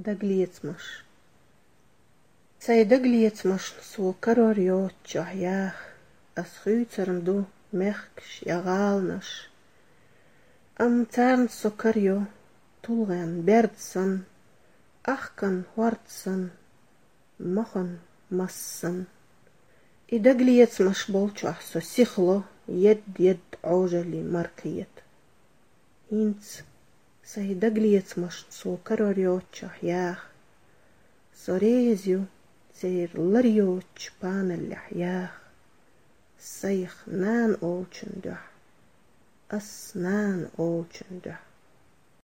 Daglietsmash. Zij daglietsmash so karorio tjahjach, as chuitserm do merksh jagalnash. Am tsarn so kario, tulren berdsan, achkan hwartsan, mochen massan. I daglietsmash bolchah so sichlo, jed aujali markiet. Hins, zij daglietsmash so karorio tjahjach, so reizio, zeer larioch panelljach, Saich naan olchen duh, as naan olchen duh.